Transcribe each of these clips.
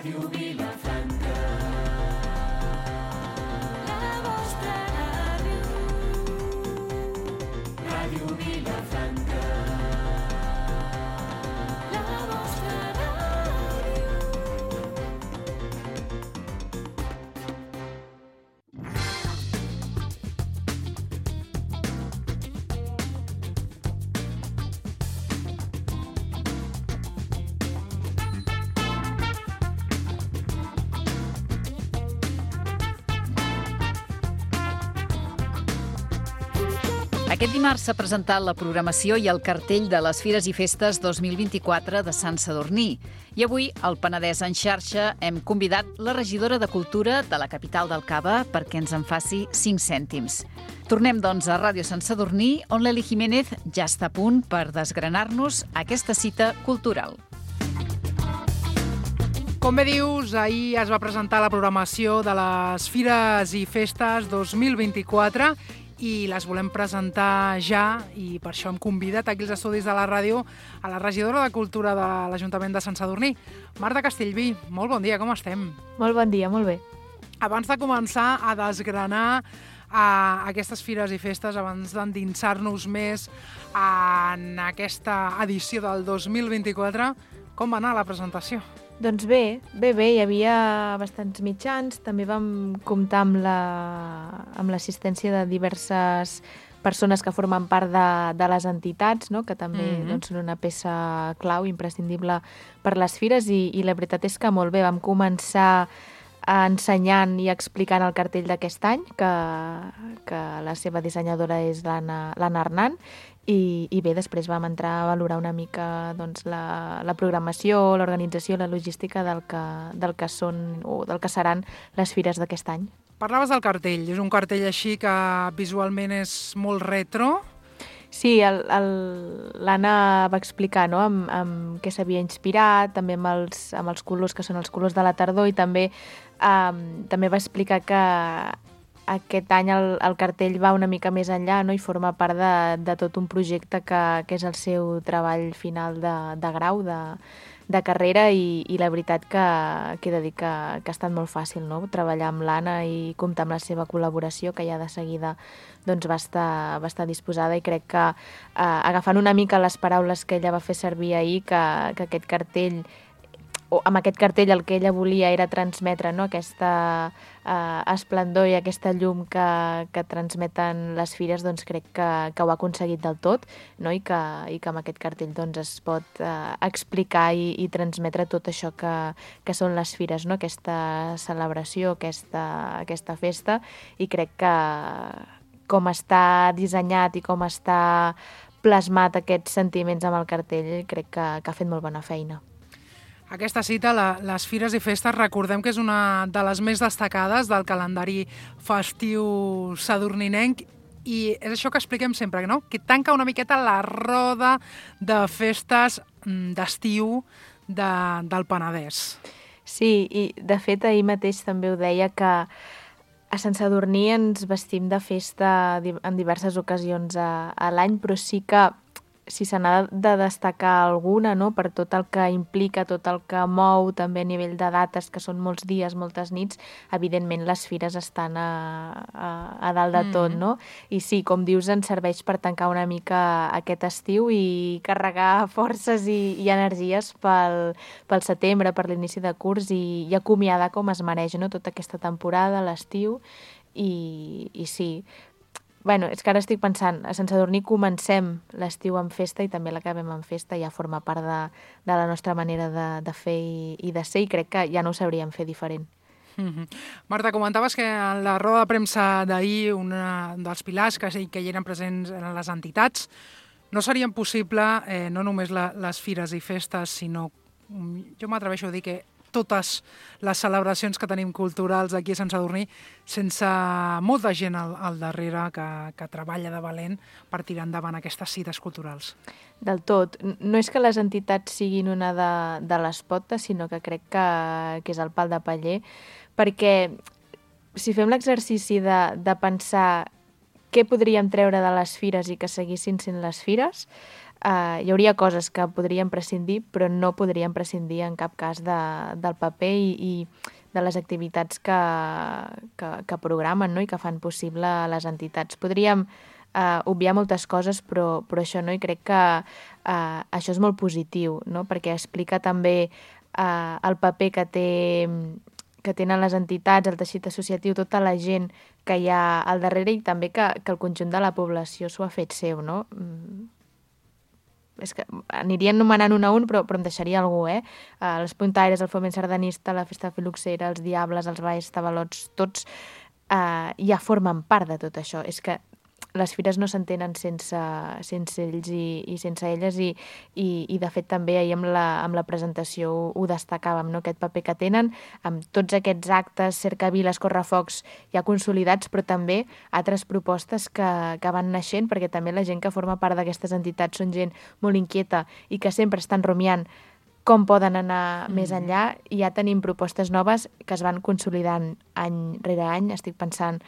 Ràdio Vilafranca. La vostra ràdio. Ràdio Vilafranca. La vostra ràdio. Aquest dimarts s'ha presentat la programació i el cartell de les Fires i Festes 2024 de Sant Sadurní. I avui, al Penedès en xarxa, hem convidat la regidora de Cultura de la capital del Cava perquè ens en faci 5 cèntims. Tornem, doncs, a Ràdio Sant Sadurní, on l'Eli Jiménez ja està a punt per desgranar-nos aquesta cita cultural. Com bé dius, ahir es va presentar la programació de les Fires i Festes 2024 i les volem presentar ja, i per això hem convidat aquí als estudis de la ràdio a la regidora de Cultura de l'Ajuntament de Sant Sadurní, Marta Castellví. Molt bon dia, com estem? Molt bon dia, molt bé. Abans de començar a desgranar aquestes Fires i Festes, abans d'endinsar-nos més en aquesta edició del 2024, com va anar la presentació? Doncs bé, hi havia bastants mitjans, també vam comptar amb l'assistència de diverses persones que formen part de les entitats, no? Que també doncs, són una peça clau, imprescindible per les fires, i la veritat és que molt bé, vam començar ensenyant i explicant el cartell d'aquest any, que la seva dissenyadora és l'Anna Arnant, i bé, després vam entrar a valorar una mica doncs, la programació, l'organització, la logística del que són o del que seran les fires d'aquest any. Parlaves del cartell, és un cartell així que visualment és molt retro. Sí, l'Anna va explicar, no?, amb què s'havia inspirat, també amb els colors que són els colors de la tardor, i també va explicar que aquest any el cartell va una mica més enllà, no?, i forma part de tot un projecte que és el seu treball final de grau, de carrera, i la veritat que he de dir que ha estat molt fàcil, no?, treballar amb l'Anna i comptar amb la seva col·laboració, que ja de seguida doncs, va estar disposada, i crec que agafant una mica les paraules que ella va fer servir ahir, que aquest cartell, o amb aquest cartell el que ella volia era transmetre, no?, aquesta esplendor i aquesta llum que transmeten les fires, doncs crec que ho ha aconseguit del tot, no?, i que amb aquest cartell doncs, es pot explicar i transmetre tot això que són les fires, no?, aquesta celebració, aquesta festa, i crec que com està dissenyat i com està plasmat aquests sentiments amb el cartell, crec que ha fet molt bona feina. Aquesta cita, les Fires i Festes, recordem que és una de les més destacades del calendari festiu sadurninenc, i és això que expliquem sempre, no?, que tanca una miqueta la roda de festes d'estiu del Penedès. Sí, i de fet ahir mateix també ho deia, que a Sant Sadurní ens vestim de festa en diverses ocasions a l'any, però sí que si se n'ha de destacar alguna, no?, per tot el que implica, tot el que mou, també a nivell de dates, que són molts dies, moltes nits, evidentment les fires estan a dalt de tot, no? I sí, com dius, ens serveix per tancar una mica aquest estiu i carregar forces i energies pel setembre, per l'inici de curs, i acomiadar com es mereix, no?, tota aquesta temporada, l'estiu, i sí. Bueno, és que ara estic pensant, a Sant Sadurní comencem l'estiu en festa i també l'acabem en festa, ja forma part de la nostra manera de fer i de ser, i crec que ja no ho sabríem fer diferent. Marta, comentaves que en la roda de premsa d'ahir un dels pilars que hi eren presents eren les entitats. No serien possible no només les fires i festes, sinó, jo m'atreveixo a dir que totes les celebracions que tenim culturals aquí a Sant Sadurní, sense molta gent al darrere que treballa de valent per tirar endavant aquestes cites culturals. Del tot. No és que les entitats siguin una de les potes, sinó que crec que és el pal de paller, perquè si fem l'exercici de pensar què podríem treure de les fires i que seguissin sent les fires, hi hauria coses que podríem prescindir, però no podríem prescindir en cap cas del paper i de les activitats que programen, no? I que fan possible les entitats. Podríem obviar moltes coses, però això no, i crec que això és molt positiu, no? Perquè explica també el paper que tenen les entitats, el teixit associatiu, tota la gent que hi ha al darrere i també que el conjunt de la població s'ho ha fet seu, no? És que aniria anomenant un a un, però em deixaria algú, els puntaires, el foment sardanista, la festa filoxera, els diables, els balls, tabalots, tots ja formen part de tot això. És que les fires no s'entenen sense ells i sense elles i de fet també ahir amb la presentació ho destacàvem, no? Aquest paper que tenen amb tots aquests actes, cercaviles, correfocs ja consolidats, però també altres propostes que van naixent, perquè també la gent que forma part d'aquestes entitats són gent molt inquieta i que sempre estan rumiant com poden anar més enllà, i ja tenim propostes noves que es van consolidant any rere any. Estic pensant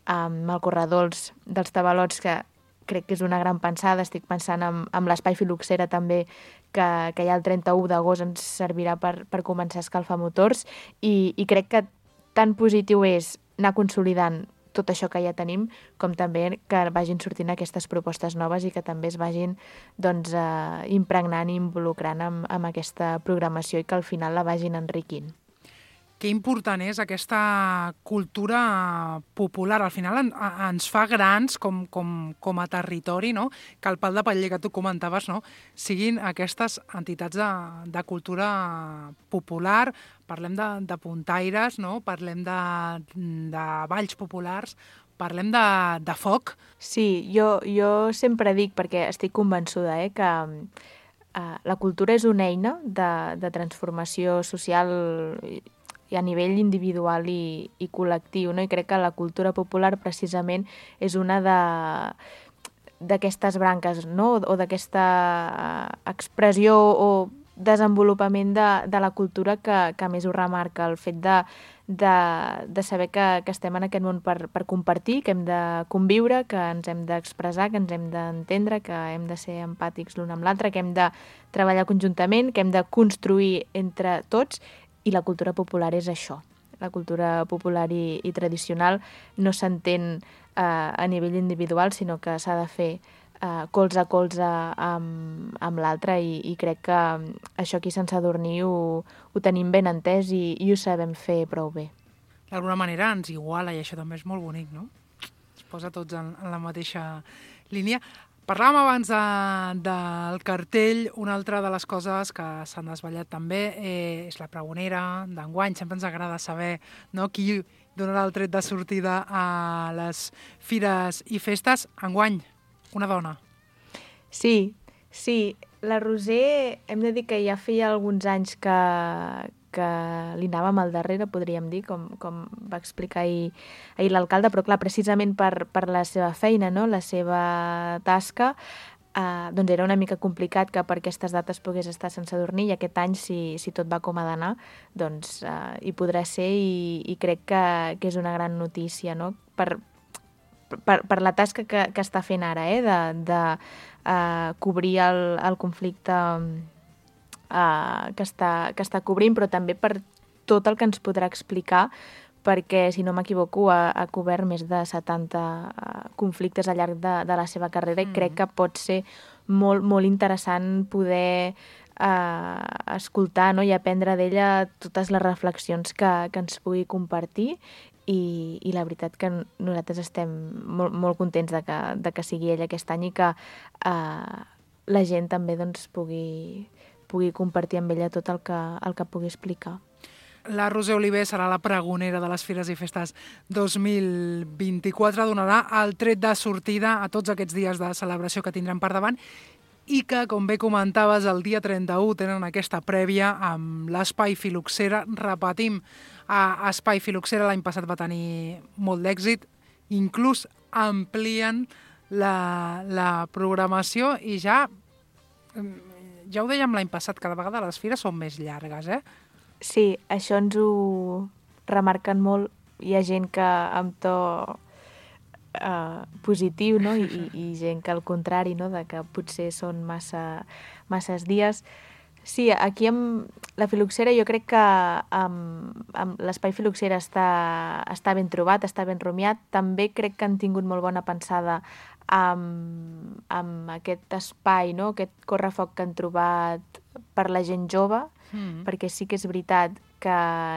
amb el corredor dels tabalots, que crec que és una gran pensada. Estic pensant amb l'espai filoxera també, que ja el 31 d'agost ens servirà per començar a escalfar motors, i crec que tan positiu és anar consolidant tot això que ja tenim, com també que vagin sortint aquestes propostes noves i que també es vagin impregnant i involucrant amb aquesta programació i que al final la vagin enriquint. Que important és aquesta cultura popular. Al final ens fa grans com a territori, no? Que el pal de paller que tu comentaves, no? Siguin aquestes entitats de cultura popular. Parlem de puntaires, no? Parlem de balls populars, parlem de foc. Sí, jo sempre dic, perquè estic convençuda, que la cultura és una eina de transformació social i a nivell individual i col·lectiu, no? I crec que la cultura popular precisament és una d'aquestes branques, no? O d'aquesta expressió o desenvolupament de la cultura que més ho remarca, el fet de saber que estem en aquest món per compartir, que hem de conviure, que ens hem d'expressar, que ens hem d'entendre, que hem de ser empàtics l'un amb l'altre, que hem de treballar conjuntament, que hem de construir entre tots. I la cultura popular és això. La cultura popular i tradicional no s'entén a nivell individual, sinó que s'ha de fer colze a colze amb l'altre, i crec que això aquí a Sant Sadurní ho tenim ben entès i ho sabem fer prou bé. D'alguna manera ens iguala, i això també és molt bonic, no? Es posa tots en la mateixa línia. Parlàvem abans del cartell. Una altra de les coses que s'han desvetllat també és la pregonera d'enguany. Sempre ens agrada saber, no, qui donarà el tret de sortida a les fires i festes. Enguany, una dona. Sí. La Roser, hem de dir que ja feia alguns anys que li anàvem al darrere, podríem dir, com va explicar ahir l'alcalde, però clar, precisament per la seva feina, no? La seva tasca, doncs era una mica complicat que per aquestes dates pogués estar a Sant Sadurní, i aquest any, si tot va com ha d'anar, doncs hi podrà ser, i crec que és una gran notícia, no? Per la tasca que està fent ara, de cobrir el conflicte que està cobrint, però també per tot el que ens podrà explicar, perquè, si no m'equivoco, ha cobert més de 70 conflictes al llarg de la seva carrera, i crec que pot ser molt, molt interessant poder escoltar, no? I aprendre d'ella totes les reflexions que ens pugui compartir, i la veritat que nosaltres estem molt, molt contents de que sigui ella aquest any, i que la gent també doncs, pugui compartir amb ella tot el que pugui explicar. La Roser Oliver serà la pregonera de les Fires i Festes 2024, donarà el tret de sortida a tots aquests dies de celebració que tindrem per davant, i que, com bé comentaves, el dia 31 tenen aquesta prèvia amb l'Espai Filoxera. Repetim, Espai Filoxera l'any passat va tenir molt d'èxit, inclús amplien la programació, i ja ho dèiem l'any passat, cada vegada les fires són més llargues, Sí, això ens ho remarquen molt. Hi ha gent que amb to positiu, no? I gent que al contrari, no? De que potser són masses dies. Sí, aquí amb la filoxera jo crec que amb l'espai filoxera està ben trobat, està ben rumiat. També crec que han tingut molt bona pensada amb aquest espai, no? Aquest correfoc que han trobat per la gent jove, perquè sí que és veritat que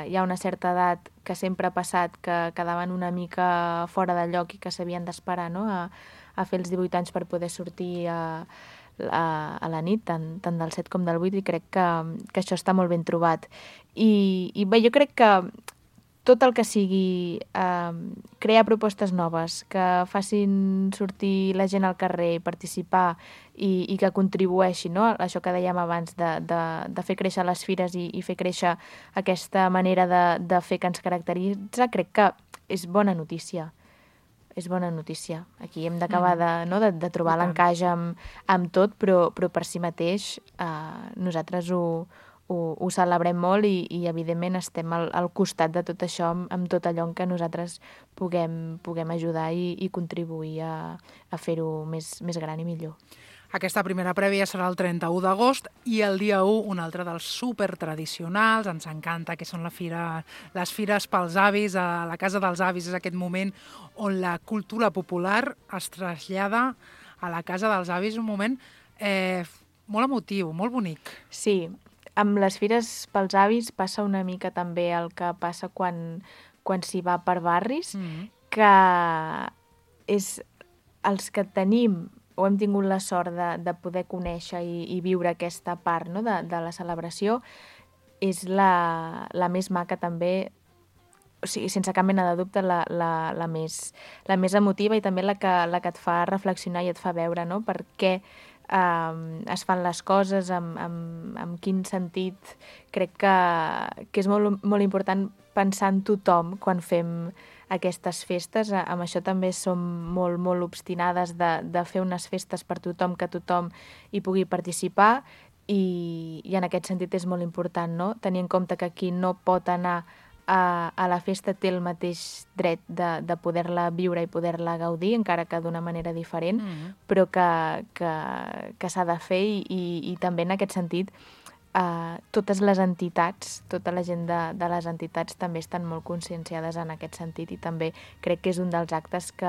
hi ha una certa edat que sempre ha passat que quedaven una mica fora de lloc i que s'havien d'esperar, no? a fer els 18 anys per poder sortir a la nit, tant del 7 com del 8, i crec que això està molt ben trobat. I bé, jo crec que tot el que sigui crear propostes noves, que facin sortir la gent al carrer, participar i que contribueixi, no? Això que dèiem abans de fer créixer les fires i fer créixer aquesta manera de fer que ens caracteritza, crec que és bona notícia. És bona notícia. Aquí hem d'acabar de trobar l'encaix amb tot, però per si mateix nosaltres ho celebrem molt i evidentment estem al costat de tot això amb tot allò en què nosaltres puguem ajudar i contribuir a fer-ho més gran i millor. Aquesta primera prèvia serà el 31 d'agost i el dia 1 un altre dels supertradicionals. Ens encanta, que són les fires pels avis. A la Casa dels Avis és aquest moment on la cultura popular es trasllada a la Casa dels Avis. Un moment molt emotiu, molt bonic. Sí, amb les fires pels avis passa una mica també el que passa quan s'hi va per barris, que és els que tenim o hem tingut la sort de poder conèixer i viure aquesta part, no? de la celebració, és la més maca també, o sigui, sense cap mena de dubte, la més emotiva i també la que et fa reflexionar i et fa veure, no? Per què es fan les coses, amb quin sentit. Crec que és molt important pensar en tothom quan fem aquestes festes. Amb això també som molt, molt obstinades de fer unes festes per tothom, que tothom hi pugui participar i en aquest sentit és molt important, no? Tenir en compte que qui no pot anar a la festa té el mateix dret de poder-la viure i poder-la gaudir, encara que d'una manera diferent, però que s'ha de fer i també en aquest sentit totes les entitats, tota la gent de les entitats també estan molt conscienciades en aquest sentit i també crec que és un dels actes que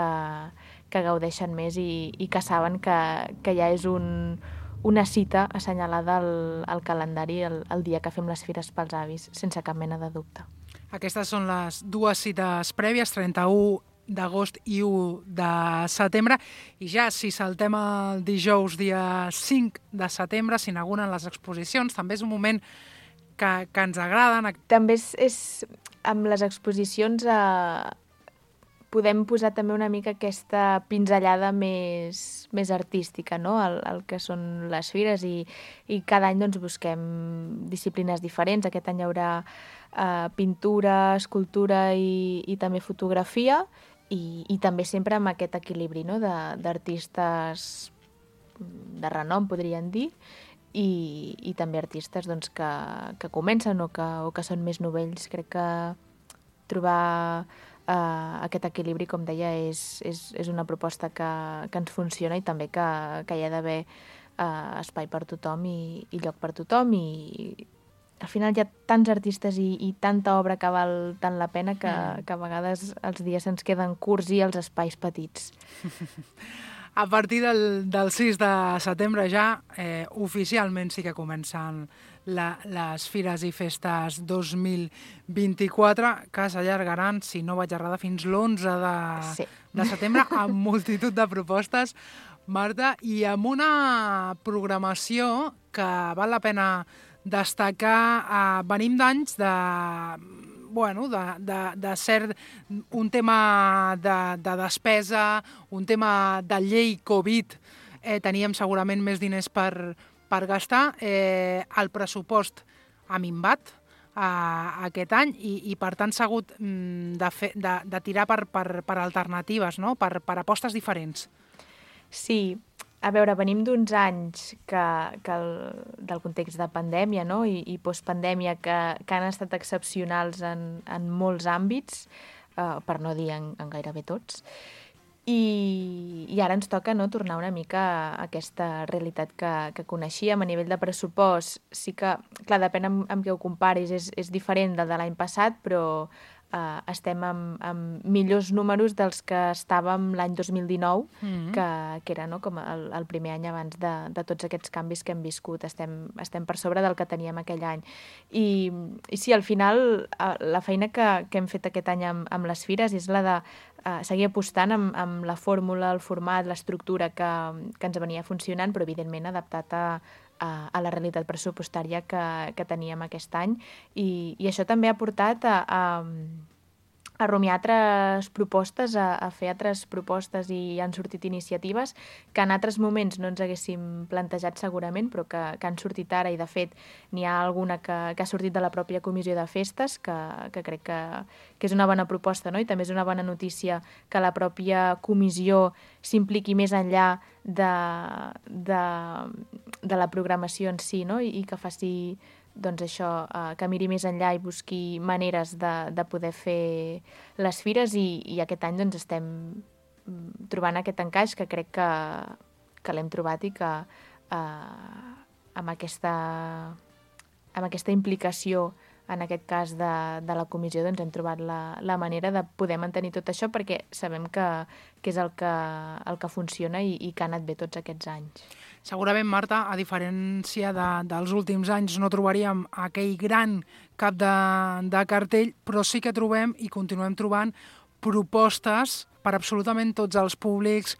gaudeixen més i que saben que ja és una cita assenyalada al calendari el dia que fem les fires pels avis, sense cap mena de dubte. Aquestes són les dues cites prèvies, 31 d'agost i 1 de setembre. I ja, si saltem el dijous, dia 5 de setembre, s'inauguren les exposicions. També és un moment que ens agraden. També és amb les exposicions podem posar també una mica aquesta pinzellada més artística, no? El que són les fires i cada any doncs, busquem disciplines diferents. Aquest any hi haurà pintura, escultura i també fotografia i també sempre amb aquest equilibri, no? D'artistes de renom, podríem dir, i també artistes doncs, que comencen o que són més novells. Crec que trobar aquest equilibri, com deia, és una proposta que ens funciona i també que hi ha d'haver espai per tothom i lloc per tothom i al final hi ha tants artistes i tanta obra que val tant la pena que a vegades els dies se'ns queden curts i els espais petits. A partir del 6 de setembre ja oficialment sí que comencen les Fires i Festes 2024, que s'allargaran, si no vaig errada, fins l'11 de setembre, amb multitud de propostes, Marta, i amb una programació que val la pena destacar. Venim d'anys de ser un tema de despesa, un tema de llei Covid. Teníem segurament més diners per gastar. El pressupost ha minvat aquest any i per tant s'ha hagut de tirar per alternatives, no? Per apostes diferents. Sí, a veure, venim d'uns anys del context de pandèmia, no? i postpandèmia que han estat excepcionals en molts àmbits, per no dir en gairebé tots. i ara ens toca, no, tornar una mica a aquesta realitat que coneixíem. A nivell de pressupost, sí que, clar, depèn amb què ho comparis, és diferent del de l'any passat, però estem amb millors números dels que estàvem l'any 2019, que era, no, com el primer any abans de tots aquests canvis que hem viscut. Estem per sobre del que teníem aquell any. I sí, al final, la feina que hem fet aquest any amb les fires és la de seguir apostant amb la fórmula, el format, l'estructura que ens venia funcionant, però evidentment adaptat a la realitat pressupostària que teníem aquest any. I això també ha portat a rumiar altres propostes, a fer altres propostes, i han sortit iniciatives que en altres moments no ens haguéssim plantejat segurament, però que han sortit ara, i de fet n'hi ha alguna que ha sortit de la pròpia comissió de festes, que crec que és una bona proposta, no? I també és una bona notícia que la pròpia comissió s'impliqui més enllà de la programació en si, no? I que faci, doncs això, que miri més enllà i busqui maneres de poder fer les fires, i aquest any doncs estem trobant aquest encaix que crec que l'hem trobat, i que amb aquesta implicació, en aquest cas de la comissió, doncs hem trobat la manera de poder mantenir tot això, perquè sabem que és el que funciona i que ha anat bé tots aquests anys. Segurament, Marta, a diferència dels últims anys, no trobaríem aquell gran cap de cartell, però sí que trobem i continuem trobant propostes per absolutament tots els públics,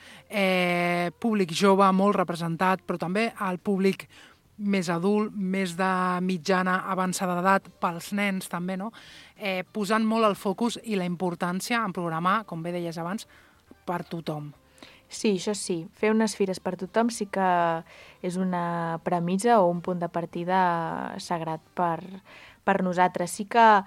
públic jove molt representat, però també el públic més adult, més de mitjana avançada d'edat, pels nens també, no? Posant molt el focus i la importància en programar, com bé deies abans, per tothom. Sí, això sí. Fer unes fires per tothom sí que és una premissa o un punt de partida sagrat per nosaltres. Sí que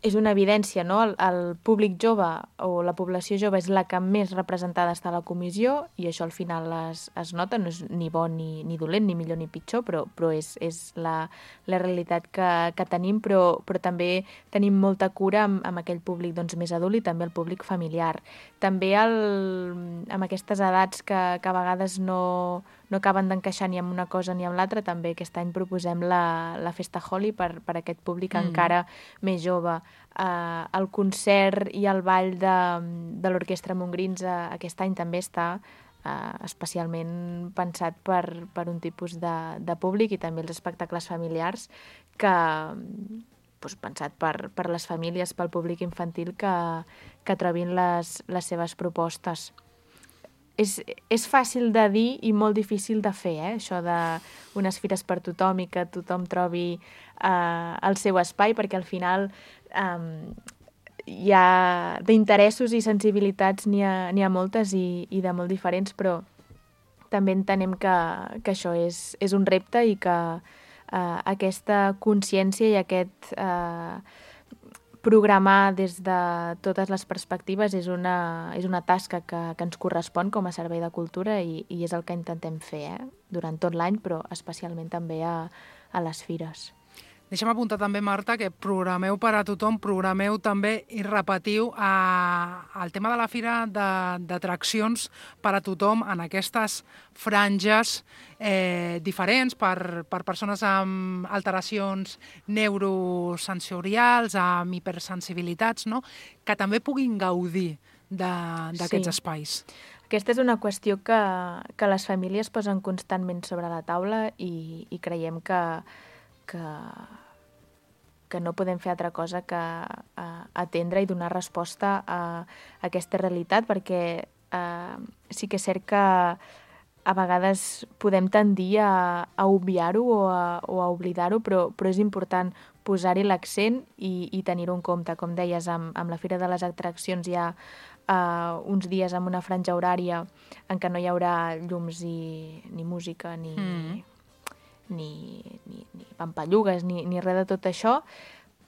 és una evidència, no? El públic jove o la població jove és la que més representada està a la comissió, i això al final es nota, no és ni bo ni dolent, ni millor ni pitjor, però és la realitat que tenim, però també tenim molta cura amb aquell públic, doncs, més adult, i també el públic familiar. També amb aquestes edats que a vegades no acaben d'encaixar ni amb una cosa ni amb l'altra, també aquest any proposem la Festa Holi per aquest públic encara més jove. El concert i el ball de l'Orquestra Montgrins aquest any també està especialment pensat per un tipus de públic, i també els espectacles familiars pensat per les famílies, pel públic infantil que trobin les seves propostes. És fàcil de dir i molt difícil de fer, això d'unes fires per tothom i que tothom trobi el seu espai, perquè al final hi ha d'interessos i sensibilitats, n'hi ha moltes i de molt diferents, però també entenem que això és un repte, i que aquesta consciència i aquest programar des de totes les perspectives és una tasca que ens correspon com a Servei de Cultura, i és el que intentem fer durant tot l'any, però especialment també a les fires. Deixa'm apuntar també, Marta, que programeu per a tothom, programeu també i repetiu el tema de la fira d'atraccions per a tothom en aquestes franges diferents per persones amb alteracions neurosensorials, amb hipersensibilitats, no? Que també puguin gaudir d'aquests espais. Aquesta és una qüestió que les famílies posen constantment sobre la taula, i creiem que no podem fer altra cosa que atendre i donar resposta a aquesta realitat, perquè sí que és cert que a vegades podem tendir a obviar-ho o a oblidar-ho, però és important posar-hi l'accent i tenir-ho en compte. Com deies, amb la Fira de les Atraccions hi ha uns dies amb una franja horària en què no hi haurà llums ni música, ni pampallugues, ni res de tot això,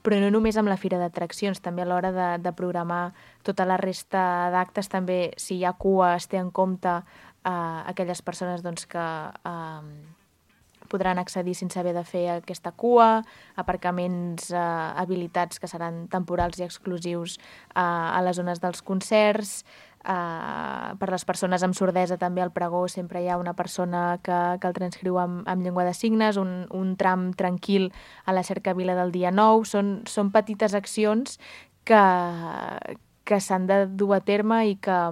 però no només amb la Fira d'Atraccions, també a l'hora de programar tota la resta d'actes, també si hi ha cua es té en compte aquelles persones doncs, que podran accedir sense haver de fer aquesta cua, aparcaments habilitats que seran temporals i exclusius a les zones dels concerts. Per les persones amb sordesa també al pregó sempre hi ha una persona que el transcriu amb llengua de signes, un tram tranquil a la cercavila del dia 9. Són petites accions que s'han de dur a terme i que a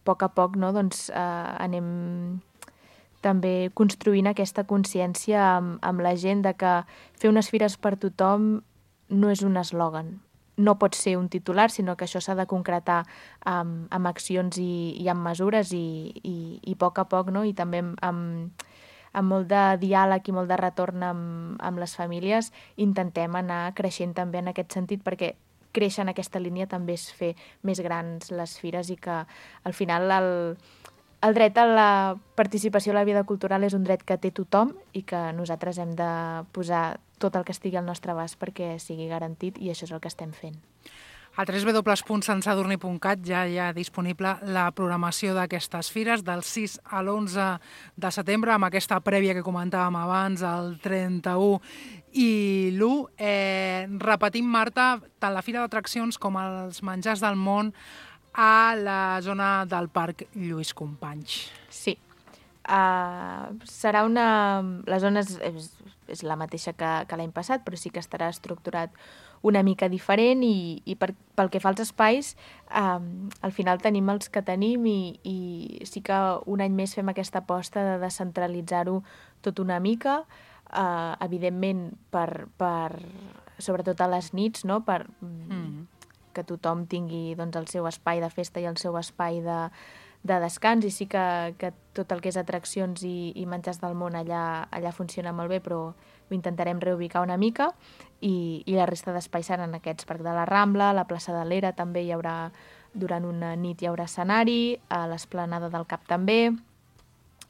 poc doncs, anem també construint aquesta consciència amb la gent de que fer unes fires per tothom no és un eslògan. No pot ser un titular, sinó que això s'ha de concretar amb accions i amb mesures i a poc, no? I també amb molt de diàleg i molt de retorn amb les famílies intentem anar creixent també en aquest sentit, perquè créixer en aquesta línia també és fer més grans les fires i que al final el dret a la participació a la vida cultural és un dret que té tothom i que nosaltres hem de posar tot el que estigui al nostre abast perquè sigui garantit, i això és el que estem fent. A www.santsadurní.cat ja hi ha disponible la programació d'aquestes fires del 6 a l'11 de setembre, amb aquesta prèvia que comentàvem abans, el 31 i l'1. Repetim, Marta, tant la Fira d'Atraccions com els menjars del món a la zona del Parc Lluís Companys. Sí. Serà la zona és la mateixa que l'any passat, però sí que estarà estructurat una mica diferent i pel que fa als espais, al final tenim els que tenim i sí que un any més fem aquesta aposta de descentralitzar-ho tot una mica, evidentment sobretot a les nits, no? Per que tothom tingui doncs, el seu espai de festa i el seu espai de descans, i sí que tot el que és atraccions i menjars del món allà funciona molt bé, però ho intentarem reubicar una mica i la resta d'espais seran aquests: Parc de la Rambla, la plaça de l'Era també hi haurà, durant una nit hi haurà escenari, a l'Esplanada del Cap també,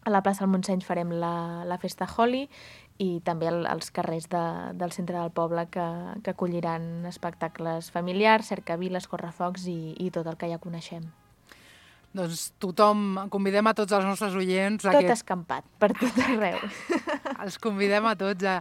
a la plaça del Montseny farem la festa Holi i també als carrers del centre del poble que acolliran espectacles familiars, cercaviles, correfocs i tot el que ja coneixem. Doncs tothom, convidem a tots els nostres oients... Tot escampat, per tot arreu. Els convidem a tots a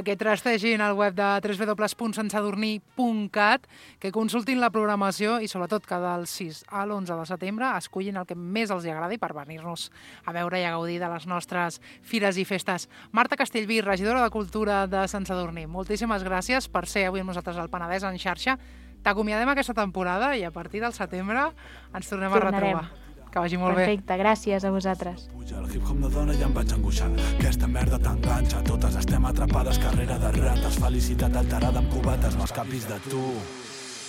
que trastegin el web de www.santsadurní.cat, que consultin la programació i sobretot que del 6 a l'11 de setembre escullin el que més els agradi per venir-nos a veure i a gaudir de les nostres fires i festes. Marta Castellví, regidora de Cultura de Sant Sadurní, moltíssimes gràcies per ser avui amb nosaltres al Penedès en xarxa. T'acomiadem aquesta temporada i a partir del setembre ens tornem a retrobar. Que vagi molt bé. Perfecte, gràcies a vosaltres. El hip-hop no dona i em vaig angoixant. Aquesta merda t'enganxa, totes estem atrapades, carrera de rates, felicitat alterada amb cubates, no escapis de tu.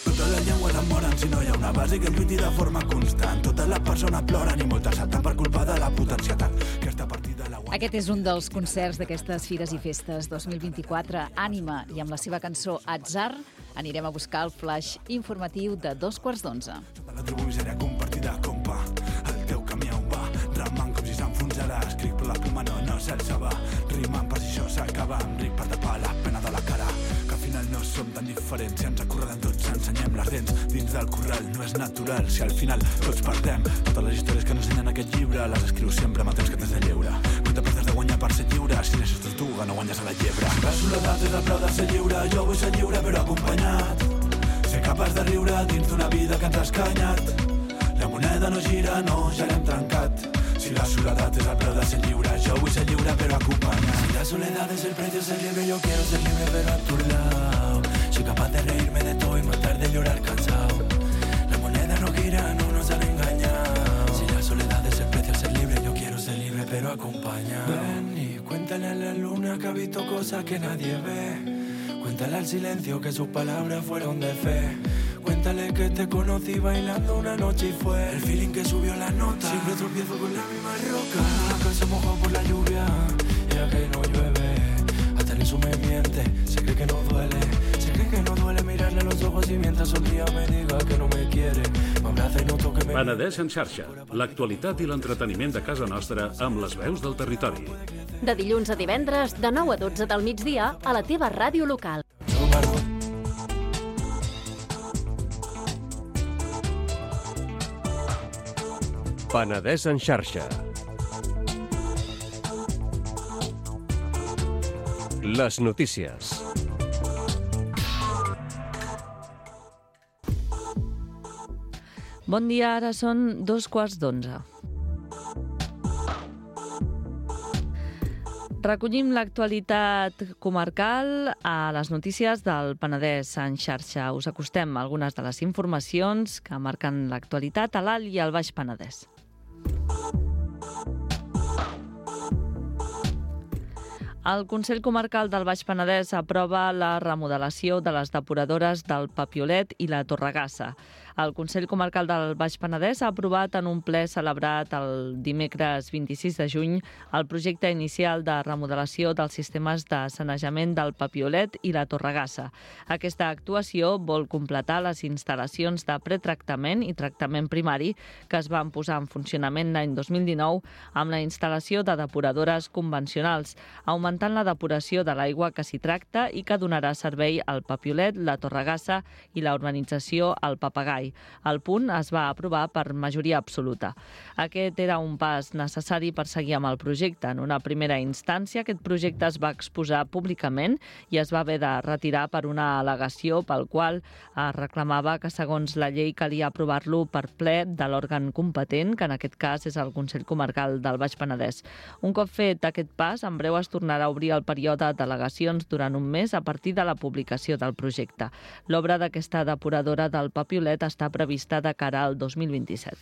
Totes les llengües em moren si no hi ha una base que lluiti de forma constant. Totes les persones ploren i moltes salten per culpa de la puta ansietat. Aquesta partida la guanya... Aquest és un dels concerts d'aquestes Fires i Festes 2024. Ànima, i amb la seva cançó Atzar anirem a buscar el flash informatiu de 11:15. Sota la tribu misèria compartida, compa. El teu camí on va, ramant com si s'enfonsarà. Escric per la pluma, no s'alça va. Rimant per si això s'acaba, amb ric per tapar la pena de la cara. Que al final no som tan diferents, si ens acorralen tots, ensenyem les dents. Dins del corral no és natural, si al final tots perdem. Totes les històries que ens ensenyen aquest llibre les escrius sempre amb el temps que tens de lleure. Quan t'apretes de guanyar per ser lliure, si deixes tortuga no guanyes a la llebre. La soledat és el preu de ser lliure, jo vull ser lliure però acompanyat. Ser capaç de riure dins d'una vida que ens ha escanyat. La moneda no gira, no, ja l'hem trencat. Si la soledat és el preu de ser lliure, jo vull ser lliure però acompanyat. Si la soledad es el precio de ser libre, yo quiero ser libre pero a tu lado. Soy capaz de reírme de todo y matar de llorar cansado. La moneda no gira, no nos han engañado. Si la soledad es el precio de ser libre, yo quiero ser libre pero acompañado. Ven y cuéntale a la luna que ha visto cosas que nadie ve. Cuéntale al silencio que sus palabras fueron de fe. Cuéntale que te conocí bailando una noche y fue el feeling que subió la nota. Siempre tropiezo con la misma roca, que se mojó por la lluvia, ya que no llueve. Hasta en eso me miente, se cree que no duele. Se cree que no duele mirarle a los ojos y mientras sonría me diga que no me quiere. M'abraza i noto que me... Penedès en xarxa, l'actualitat i l'entreteniment de casa nostra amb les veus del territori. De dilluns a divendres, de 9 a 12 del migdia, a la teva ràdio local. Penedès en xarxa. Les notícies. Bon dia, ara són 2:15. Recollim l'actualitat comarcal a les notícies del Penedès en xarxa. Us acostem algunes de les informacions que marquen l'actualitat a l'Alt i al Baix Penedès. El Consell Comarcal del Baix Penedès aprova la remodelació de les depuradores del Papiolet i la Torregassa. El Consell Comarcal del Baix Penedès ha aprovat en un ple celebrat el dimecres 26 de juny el projecte inicial de remodelació dels sistemes de sanejament del Papiolet i la Torregassa. Aquesta actuació vol completar les instal·lacions de pretractament i tractament primari que es van posar en funcionament l'any 2019 amb la instal·lació de depuradores convencionals, augmentant la depuració de l'aigua que s'hi tracta i que donarà servei al Papiolet, la Torregassa i la urbanització al Papagai. El punt es va aprovar per majoria absoluta. Aquest era un pas necessari per seguir amb el projecte. En una primera instància, aquest projecte es va exposar públicament i es va haver de retirar per una al·legació pel qual es reclamava que, segons la llei, calia aprovar-lo per ple de l'òrgan competent, que en aquest cas és el Consell Comarcal del Baix Penedès. Un cop fet aquest pas, en breu es tornarà a obrir el període d'al·legacions durant un mes a partir de la publicació del projecte. L'obra d'aquesta depuradora del Papiolet està prevista de cara al 2027.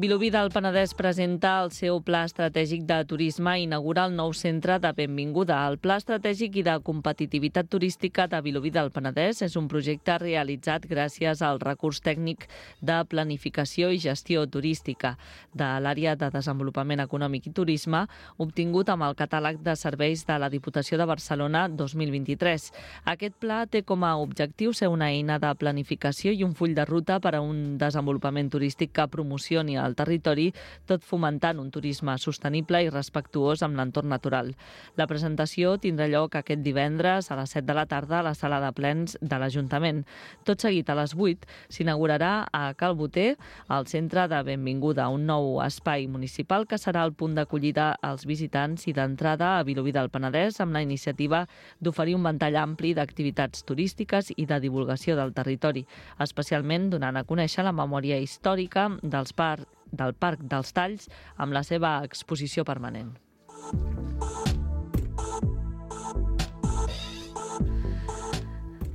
Vilobí del Penedès presenta el seu Pla Estratègic de Turisme i inaugura el nou centre de benvinguda. El Pla Estratègic i de Competitivitat Turística de Vilobí del Penedès és un projecte realitzat gràcies al recurs tècnic de planificació i gestió turística de l'Àrea de Desenvolupament Econòmic i Turisme, obtingut amb el catàleg de serveis de la Diputació de Barcelona 2023. Aquest pla té com a objectiu ser una eina de planificació i un full de ruta per a un desenvolupament turístic que promocioni el territori, tot fomentant un turisme sostenible i respectuós amb l'entorn natural. La presentació tindrà lloc aquest divendres a les 7 de la tarda a la sala de plens de l'Ajuntament. Tot seguit a les 8 s'inaugurarà a Cal Boter el centre de benvinguda, un nou espai municipal que serà el punt d'acollida als visitants i d'entrada a Vilobí del Penedès amb la iniciativa d'oferir un ventall ampli d'activitats turístiques i de divulgació del territori, especialment donant a conèixer la memòria històrica del Parc dels Talls amb la seva exposició permanent.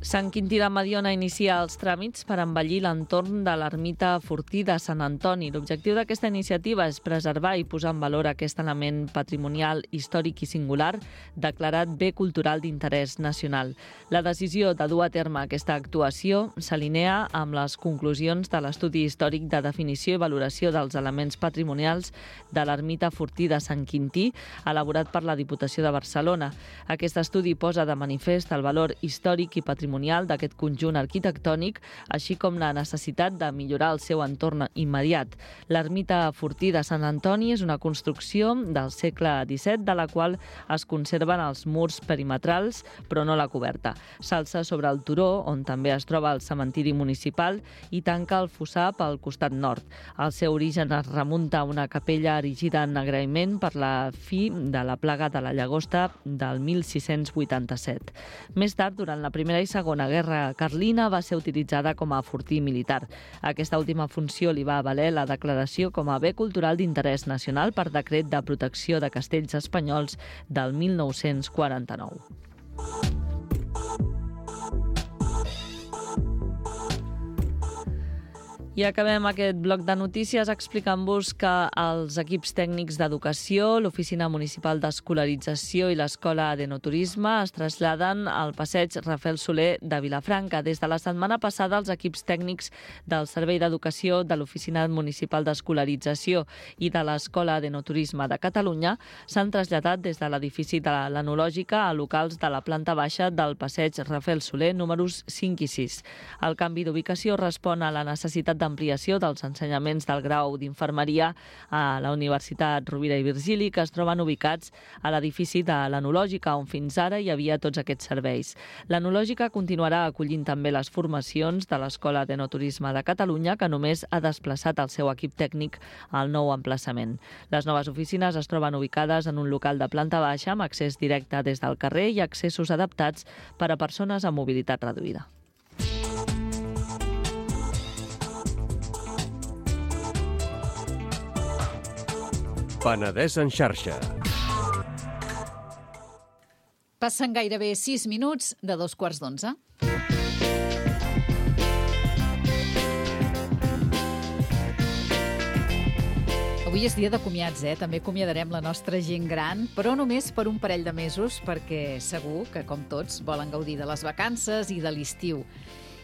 Sant Quintí de Mediona inicia els tràmits per embellir l'entorn de l'ermita Fortí de Sant Antoni. L'objectiu d'aquesta iniciativa és preservar i posar en valor aquest element patrimonial, històric i singular, declarat bé cultural d'interès nacional. La decisió de dur a terme aquesta actuació s'alinea amb les conclusions de l'estudi històric de definició i valoració dels elements patrimonials de l'ermita Fortí de Sant Quintí, elaborat per la Diputació de Barcelona. Aquest estudi posa de manifest el valor històric i patrimonial d'aquest conjunt arquitectònic, així com la necessitat de millorar el seu entorn immediat. L'ermita Fortí de Sant Antoni és una construcció del segle XVII, de la qual es conserven els murs perimetrals, però no la coberta. S'alça sobre el turó, on també es troba el cementiri municipal, i tanca el fossar pel costat nord. El seu origen es remunta a una capella erigida en agraïment per la fi de la plaga de la llagosta del 1687. Més tard, durant la Primera i Segona Guerra Carlina, va ser utilitzada com a fortí militar. Aquesta última funció li va valer la declaració com a bé cultural d'interès nacional per decret de protecció de castells espanyols del 1949. I acabem aquest bloc de notícies explicant-vos que els equips tècnics d'educació, l'Oficina Municipal d'Escolarització i l'Escola d'Enoturisme es traslladen al passeig Rafael Soler de Vilafranca. Des de la setmana passada, els equips tècnics del Servei d'Educació, de l'Oficina Municipal d'Escolarització i de l'Escola d'Enoturisme de Catalunya s'han traslladat des de l'edifici de l'Enològica a locals de la planta baixa del passeig Rafael Soler, números 5 i 6. El canvi d'ubicació respon a la necessitat de d'ampliació dels ensenyaments del grau d'infermeria a la Universitat Rovira i Virgili, que es troben ubicats a l'edifici de l'Enològica, on fins ara hi havia tots aquests serveis. L'Enològica continuarà acollint també les formacions de l'Escola d'Enoturisme de Catalunya, que només ha desplaçat el seu equip tècnic al nou emplaçament. Les noves oficines es troben ubicades en un local de planta baixa amb accés directe des del carrer i accessos adaptats per a persones amb mobilitat reduïda. Penedès en xarxa. Passen gairebé 6 minuts de 11:15. Avui és dia de comiats, També acomiadarem la nostra gent gran, però només per un parell de mesos, perquè segur que, com tots, volen gaudir de les vacances i de l'estiu.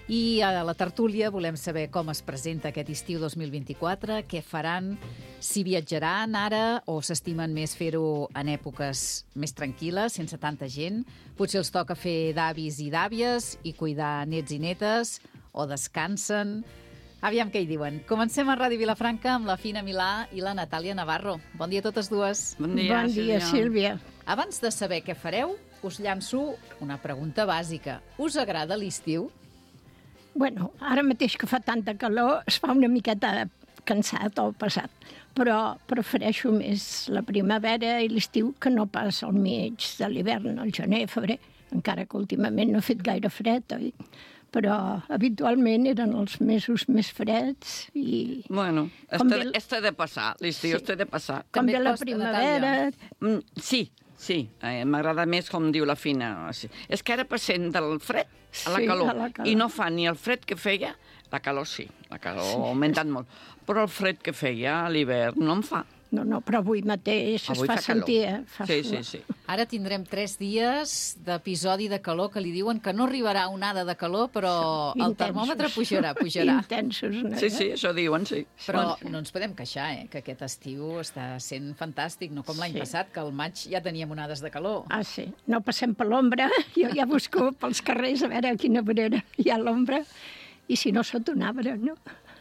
I a la tertúlia volem saber com es presenta aquest estiu 2024, què faran, si viatjaran ara o s'estimen més fer-ho en èpoques més tranquil·les, sense tanta gent. Potser els toca fer d'avis i d'àvies i cuidar nets i netes, o descansen. Aviam què hi diuen. Comencem a Ràdio Vilafranca amb la Fina Milà i la Natàlia Navarro. Bon dia a totes dues. Bon dia, Sílvia. Abans de saber què fareu, us llanço una pregunta bàsica. Us agrada l'estiu? Bueno, ara mateix que fa tanta calor es fa una miqueta cansat o pesat, però prefereixo més la primavera i l'estiu que no pas al mig de l'hivern, al gener, febrer, encara que últimament no ha fet gaire fred, oi? Però habitualment eren els mesos més freds i... Bueno, este de passar, l'estiu este de passar. Com ve la primavera... Sí, m'agrada més com diu la Fina. És que ara passem del fred a la calor, i no fa ni el fred que feia, la calor sí, la calor ha augmentat molt, però el fred que feia a l'hivern no en fa. No, però avui mateix es fa sentir, Sí. Ara tindrem 3 dies d'episodi de calor que li diuen que no arribarà onada de calor, però el termòmetre pujarà. Intensos, no? Sí, això diuen, sí. Però no ens podem queixar, que aquest estiu està sent fantàstic, no com l'any passat, que al maig ja teníem onades de calor. Ah, sí. No passem per l'ombra. Jo ja busco pels carrers a veure a quina vorera hi ha l'ombra, i si no, sota un arbre, no?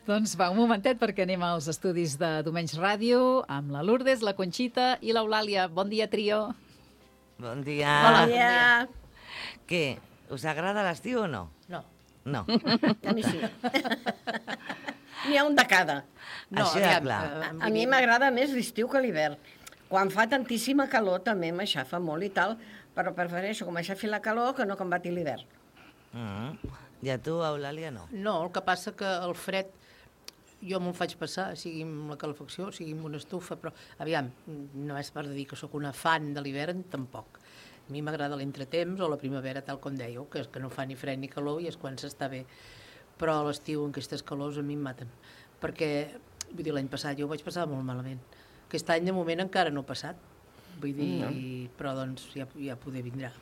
Doncs va, un momentet, perquè anem als estudis de Domenys Ràdio amb la Lourdes, la Conxita i l'Eulàlia. Bon dia, trio. Bon dia. Hola, bon dia. Què? Us agrada l'estiu o no? No. No. A mi sí. N'hi ha un de cada. No, això ja clar. A mi m'agrada més l'estiu que l'hivern. Quan fa tantíssima calor també m'aixafa molt i tal, però prefereixo que m'aixafi la calor que no que em bati l'hivern. I a tu, Eulàlia, no? No, el que passa que el fred jo me'l faig passar, sigui amb la calefacció, sigui amb una estufa, però aviam, no és per dir que sóc una fan de l'hivern, tampoc. A mi m'agrada l'entretemps o la primavera, tal com dèieu, que no fa ni fred ni calor i és quan s'està bé. Però a l'estiu, en aquestes calors, a mi em maten. Perquè, vull dir, l'any passat jo ho vaig passar molt malament. Aquest any, de moment, encara no ha passat. Vull dir, però doncs ja poder vindrà.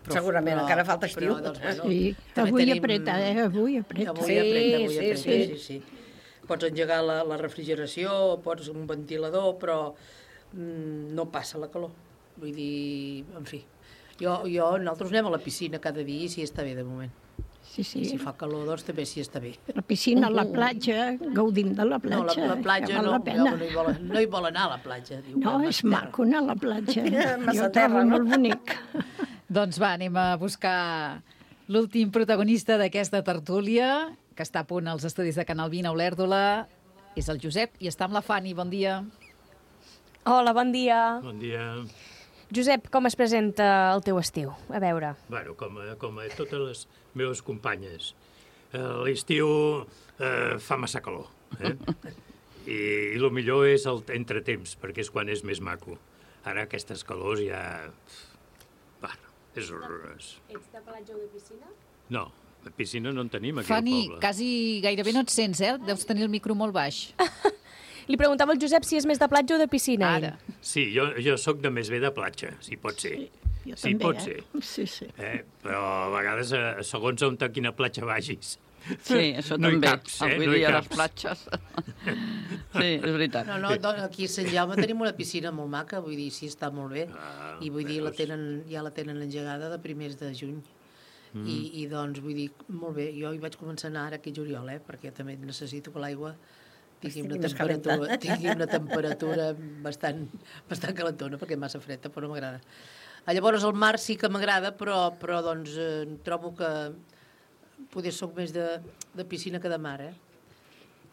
Segurament, encara falta estiu. Sí, avui apreta, avui apreta. Avui apreta, sí. Pots engegar la refrigeració, pots un ventilador, però no passa la calor. Vull dir, en fi. Nosaltres anem a la piscina cada dia i si està bé de moment. Sí. I si fa calor, doncs també si està bé. La piscina, la platja, gaudim de la platja. No, la platja no hi vol anar a la platja. No, és maco anar a la platja. Jo trobo molt bonic. Doncs va, anem a buscar l'últim protagonista d'aquesta tertúlia, que està a punt als estudis de Canal 20 a Olèrdola. És el Josep i està amb la Fanny. Bon dia. Hola, bon dia. Bon dia. Josep, com es presenta el teu estiu? A veure. Bueno, com a totes les meves companyes. L'estiu fa massa calor. I el millor és el entretemps, perquè és quan és més maco. Ara aquestes calors ja... és horrorós. Ets de platja o de piscina? No, de piscina no en tenim aquí Fanny, al poble. quasi gairebé no et sents, Deus tenir el micro molt baix. Li preguntava al Josep si és més de platja o de piscina. Ara. Sí, jo sóc de més bé de platja, si pot ser. Jo sí, també, pot ser. Sí. Però a vegades, segons on a quina platja vagis. Sí, això no també. Caps, Avui no dia a les platges. Sí, és veritat. No, aquí a Sant Jaume tenim una piscina molt maca, vull dir, sí, està molt bé. I vull dir, ja la tenen engegada de primers de juny. I doncs, vull dir, molt bé, jo hi vaig començar a anar ara aquí a juliol, perquè també necessito que l'aigua tingui una temperatura bastant calentona, perquè massa freda, però no m'agrada. Llavors el mar sí que m'agrada, però doncs trobo que potser soc més de piscina que de mar,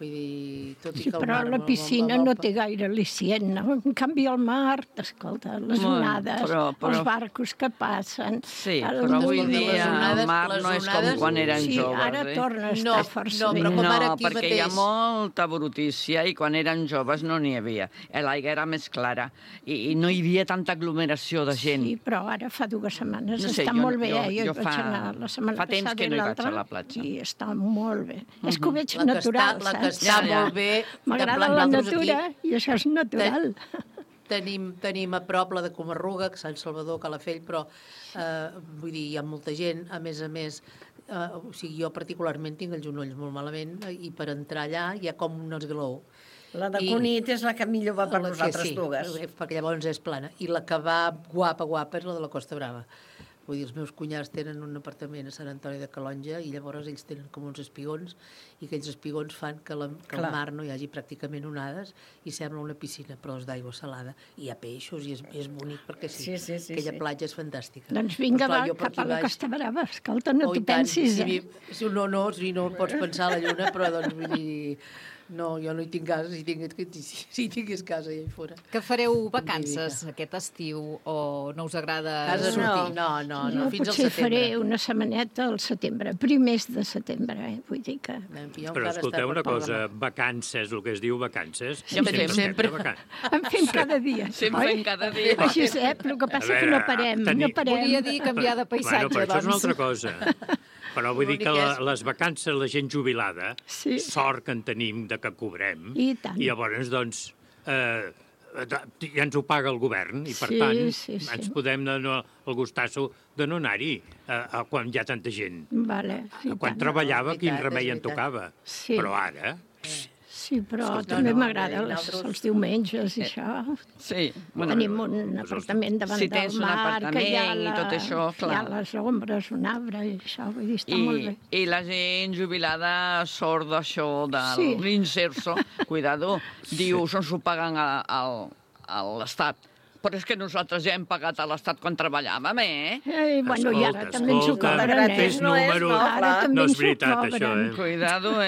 Vull dir, tot i que el mar... Però la piscina no té gaire al·licient, no? En canvi, el mar, escolta, les onades, els barcos que passen... Sí, però avui dia el mar no és com quan eren joves. Sí, ara torna a estar força bé. No, perquè hi ha molta brutícia i quan eren joves no n'hi havia. L'aigua era més clara i no hi havia tanta aglomeració de gent. Sí, però ara fa 2 setmanes està molt bé. Jo vaig anar la setmana passada i l'altra i està molt bé. És que ho veig natural, saps? Està molt bé. M'agrada la natura i això és natural. Tenim a prop la de Comarruga, Sant Salvador, Calafell, però vull dir, hi ha molta gent, a més, o sigui, jo particularment tinc els genolls molt malament i per entrar allà hi ha com un esglaó. La de Cunit és la que millor va per nosaltres dues. Sí, perquè llavors és plana. I la que va guapa és la de la Costa Brava. Vull dir, els meus cunyats tenen un apartament a Sant Antoni de Calonja i llavors ells tenen com uns espigons i aquells espigons fan que al mar no hi hagi pràcticament onades i sembla una piscina, però és d'aigua salada. I hi ha peixos i és bonic perquè sí. Aquella platja és fantàstica. Doncs vinga, va, cap a la Costa Brava. Escolta, no t'ho pensis, No pots pensar a la lluna, però doncs vull dir... No, jo no hi tinc casa, si tingués casa allà fora. Que fareu vacances aquest estiu o no us agrada sortir? No, fins al setembre. Potser faré una setmaneta al setembre, primers de setembre, vull dir que... Però escolteu una cosa, vacances, el que es diu vacances... Sempre. En fem cada dia. Sempre fem cada dia. Josep, el que passa que no parem. Volia dir canviar de paisatge, doncs. Bueno, però això és una altra cosa. Però vull dir que les vacances, la gent jubilada, sort que en tenim de que cobrem, i llavors, doncs, ja ens ho paga el govern, i per tant ens podem donar el gustasso de no anar-hi quan hi ha tanta gent. Quan treballava, quin remei en tocava. Però ara... Sí, però també m'agrada els diumenges i això. Sí. Tenim un apartament davant del mar, que hi ha les ombres, un arbre i això, vull dir, està molt bé. I la gent jubilada sort d'això, de l'inserso, cuidado, diu, s'ho paguen a l'Estat. Però és que nosaltres ja hem pagat a l'Estat quan treballàvem, Bueno, i ara també ens ho cobren, No és veritat, això, Cuidado,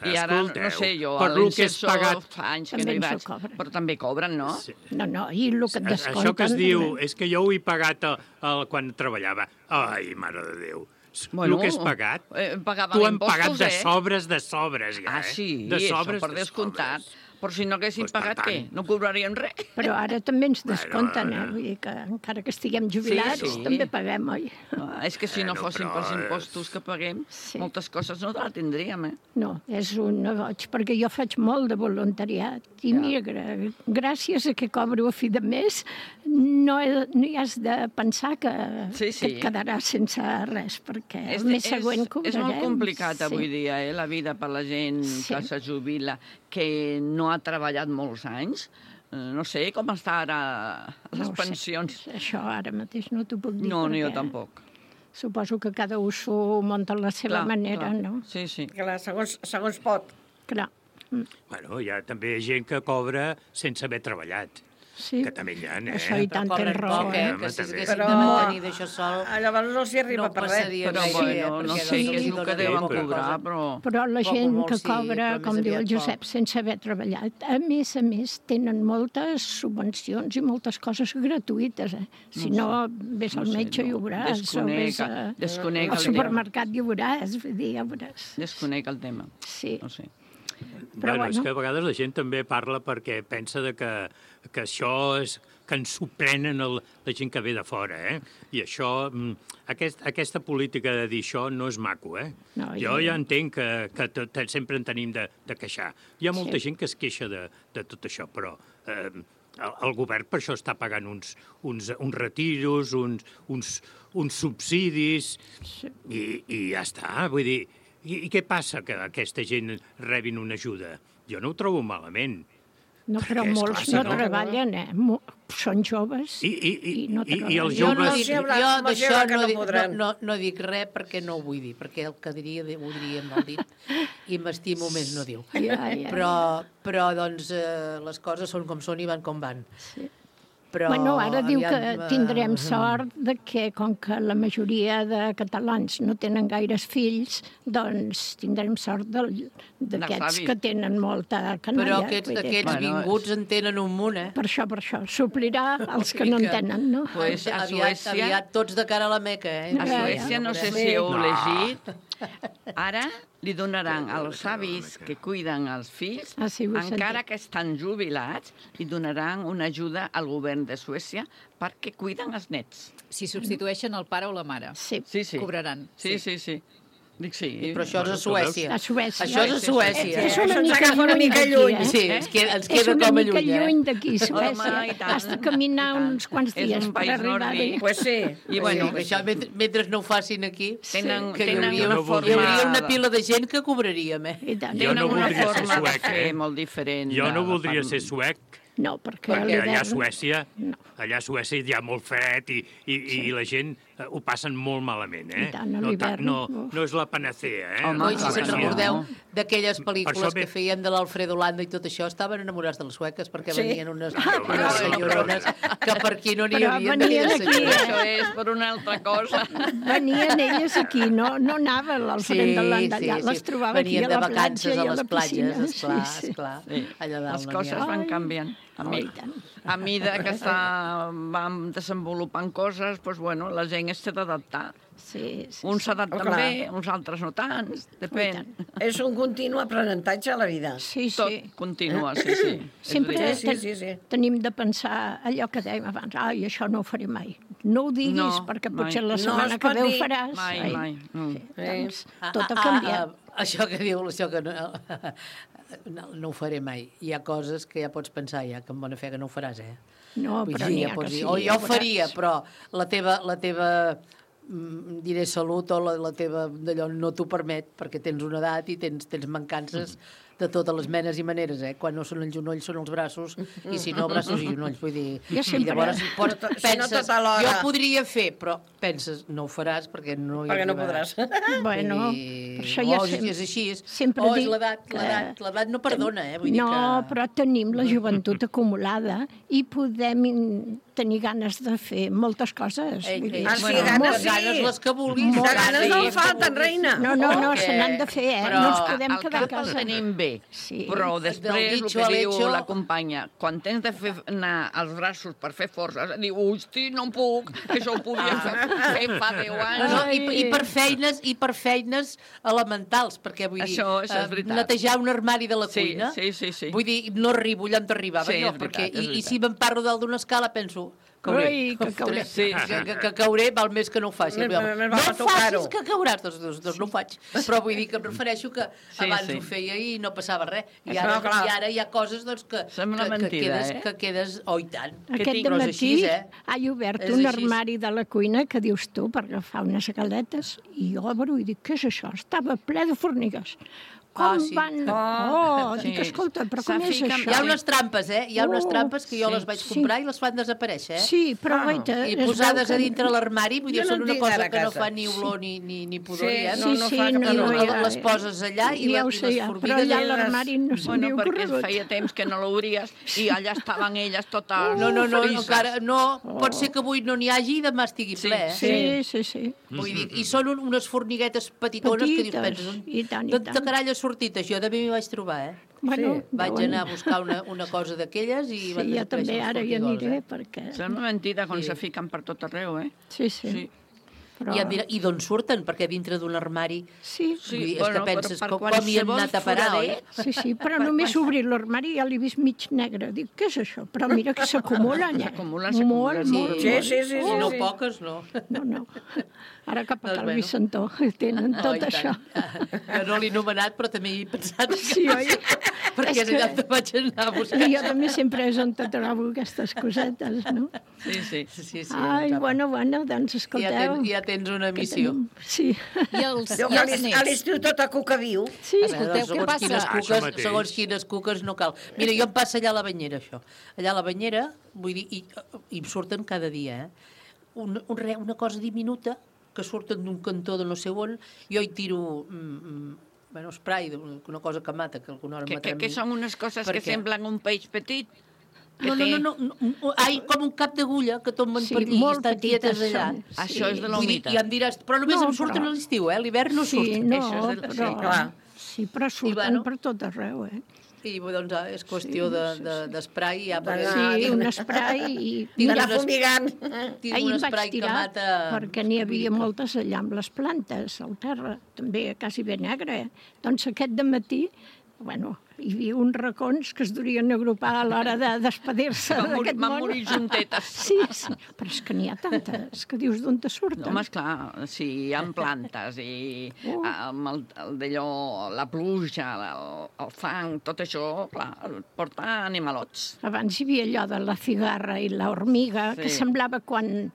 I ara, no sé, jo, a l'Inserso fa anys que no hi vaig, però també cobren, no? No, i el que et descompten... Això que es diu, és que jo ho he pagat quan treballava. Ai, mare de Déu. El que has pagat, tu han pagat de sobres, ja, Ah, sí, això per descomptat. Però si no haguéssim pagat, què? No cobraríem res. Però ara també ens descompten, Vull dir que encara que estiguem jubilats, també paguem, oi? És que si no fossin pels impostos que paguem, moltes coses no la tindríem, No, és un goig, perquè jo faig molt de voluntariat. I mira, gràcies a que cobro a fi de mes, no hi has de pensar que et quedaràs sense res, perquè el mes següent cobrarem. És molt complicat avui dia, la vida per la gent que se jubila, que no ha treballat molts anys. No sé com està ara les pensions. Això ara mateix no t'ho puc dir. No, ni jo tampoc. Suposo que cada un s'ho munta a la seva manera, no? Sí. Clar, segons pot. Clar. Bueno, hi ha també gent que cobra sense haver treballat. Sí. Que també hi ha, Això i tant tens raó, que si haguessin de mantenir d'això sol... Llavors no s'hi arriba per res. Però bueno, no sé què és el que deuen cobrar, però... Però la gent que cobra, com diu el Josep, sense haver treballat, a més, tenen moltes subvencions i moltes coses gratuïtes, Si no, ves al metge i ho veuràs, o ves al supermercat i ho veuràs, vull dir, ja ho veuràs. Desconec el tema. Sí. No sé. Bueno, és que a vegades la gent també parla perquè pensa que això és que ens s'ho prenen la gent que ve de fora, I això, aquesta política de dir això no és maco, No, jo ja entenc que sempre en tenim de queixar. Hi ha molta gent que es queixa de tot això, però el govern per això està pagant uns retiros, uns subsidis, i ja està, vull dir... I què passa que aquesta gent rebin una ajuda? Jo no ho trobo malament. No, però molts no treballen, són joves i no I els Jo joves... d'això no dic res perquè no ho vull dir, perquè el que diria ho diria mal dit i m'estimo més no dir-ho. Però doncs, les coses són com són i van com van. Sí. Però, bueno, ara diu que tindrem sort de que, com que la majoria de catalans no tenen gaires fills, doncs tindrem sort d'aquests que tenen molta canalla. Però aquests vinguts en tenen un munt, Per això, suplirà els que no en tenen, no? Pues a Suècia... Aviat tots de cara a la Meca, A Suècia, no sé si heu llegit, ara li donaran als avis que cuiden els fills, encara que estan jubilats, li donaran una ajuda al govern de Suècia perquè cuiden els nets. Si substitueixen el pare o la mare, cobraran. Sí. Dic sí. Però això és a Suècia. A Suècia. Això és a Suècia. És una mica lluny. Sí, ens queda com a lluny. És una mica lluny d'aquí, Suècia. Has de caminar uns quants dies per arribar-hi. Pues sí. I bueno, això mentre no ho facin aquí, tenen hi hauria una pila de gent que cobraríem, Jo no voldria ser suec, molt diferent. Jo no voldria ser suec. No, perquè allà a Suècia hi ha molt fred i la gent ho passen molt malament, No és la panacea, Si se'n recordeu d'aquelles pel·lícules que feien de l'Alfredo Landa i tot això, estaven enamorats de les sueques perquè venien unes senyorones que per aquí no n'hi havia de senyores. Això és per una altra cosa. Venien elles aquí, no anava l'Alfredo Landa allà, les trobava aquí a la platja i a la piscina. Esclar, allà dalt. Les coses van canviant. A mida que vam desenvolupant coses, doncs, bueno, la gent es té d'adaptar. Uns s'adapten bé, uns altres no tant, depèn. És un continu aprenentatge a la vida. Tot continua, sí. Sempre tenim de pensar allò que dèiem abans, això no ho faré mai. No ho diguis, perquè potser la setmana que ve ho faràs. Mai. Tot ha canviat. Això que diu, això que no ho faré mai. Hi ha coses que ja pots pensar que amb bona fe que no ho faràs, No, però n'hi ha que sí. O jo ho faria, però la teva diré salut o la teva d'allò no t'ho permet perquè tens una edat i tens mancances de totes les menes i maneres, Quan no són els genolls són els braços i si no, braços i genolls, vull dir... Llavors penses, jo podria fer, però penses, no ho faràs perquè no hi perquè no podràs. Bueno, per això ja és així. És l'edat no perdona, No, però tenim la joventut acumulada i podem tenir ganes de fer moltes coses. Ganes les que vulguis. Ganes no falten, reina. No, se n'han de fer, no ens podem quedar a casa. Tenim bé, però després el que diu la companya, quan tens de fer anar els braços per fer forces, diu, hosti, no puc, que això ho podia fer fa 10 anys. I per feines elementals, perquè vull dir, netejar un armari de la cuina, vull dir, no arribo allà on t'arribava jo, i si m'emparro dalt d'una escala penso, que cauré val més que no ho faci. No facis que cauràs, doncs no ho faig. Però vull dir que em refereixo que abans ho feia i no passava res. I ara hi ha coses que quedes... Oh, i tant. Aquest dematí ha obert un armari de la cuina que dius tu per agafar unes galletes i obro i dic, què és això? Estava ple de formigues. Dic, escolta, però com és això? Hi ha unes trampes, Hi ha unes trampes que jo les vaig comprar i les fan desaparèixer, Sí, però i posades a dintre l'armari, vull dir, són una cosa que no fa ni olor ni pudor, les poses allà i les formigues... Però allà a l'armari no s'havia corregut. Perquè feia temps que no l'obries i allà estaven elles totes... No, encara no. Pot ser que avui no n'hi hagi i demà estigui ple, Sí. Vull dir, i són unes formiguetes petitones que dius, penses, de carall ha sortit això, també m'hi vaig trobar, Vaig anar a buscar una cosa d'aquelles i van desaparèixer els formigons. Jo també ara hi aniré perquè... Sembla mentida quan se fiquen per tot arreu, Sí. I d'on surten? Perquè dintre d'un armari... Sí. És que penses, com hi hem anat a parar, oi? Sí, però només obrir l'armari ja l'he vist mig negre. Dic, què és això? Però mira que s'acumulen, Molt. Sí. No poques, no. No. Ara cap a Cal Vicentó tenen tot això. Jo no l'he nomenat, però també hi he pensat. Sí, oi? perquè és allà on vaig anar a buscar. Jo també sempre és on te trobo aquestes cosetes, no? Sí. Ai, bueno, doncs escolteu. Ja tens una missió. Sí. I els A l'estiu tot a cuca viu. Sí. Escolteu, què passa? Segons quines cuques no cal. Mira, jo em passa allà a la banyera, això. Allà a la banyera, vull dir, i em surten cada dia, una cosa diminuta que surten d'un cantó de no sé on, jo hi tiro spray, una cosa que mata, que alguna hora matarà. Que són unes coses que semblen un peix petit? No. Ai, com un cap d'agulla que tomben per allí i estan quietes allà. Això és de la humitat. I em diràs, però només em surten a l'estiu, l'hivern no surten. Sí, però surten per tot arreu, I doncs és qüestió d'esprai. Sí, un esprai i... D'anar fumigant. Ahir em vaig tirar perquè n'hi havia moltes allà amb les plantes, al terra, també quasi ben negre. Doncs aquest dematí, hi havia uns racons que es durien agrupar a l'hora de despedir-se d'aquest món. Van morir juntetes. Sí, però és que n'hi ha tantes, que dius d'on te surten. Home, esclar, sí, hi ha plantes i d'allò, la pluja, el fang, tot això, clar, porta animalots. Abans hi havia allò de la cigarra i l'hormiga, que semblava quan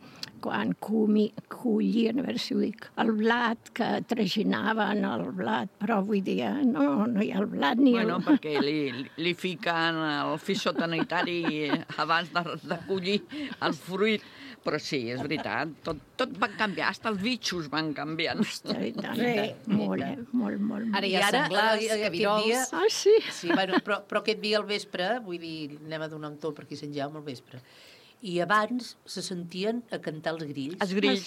collien, a veure si ho dic, el blat, que traginaven el blat, però avui dia no hi ha el blat ni el... Perquè li fiquen el fitosanitari abans de collir el fruit. Però sí, és veritat, tot va canviar, fins els bitxos van canviant. Molt. Ara hi ha senglars, cabirols... Sí. Però aquest dia al vespre, vull dir, anem a donar un to per aquí Sant Jaume al vespre, i abans se sentien a cantar els grills. Els grills.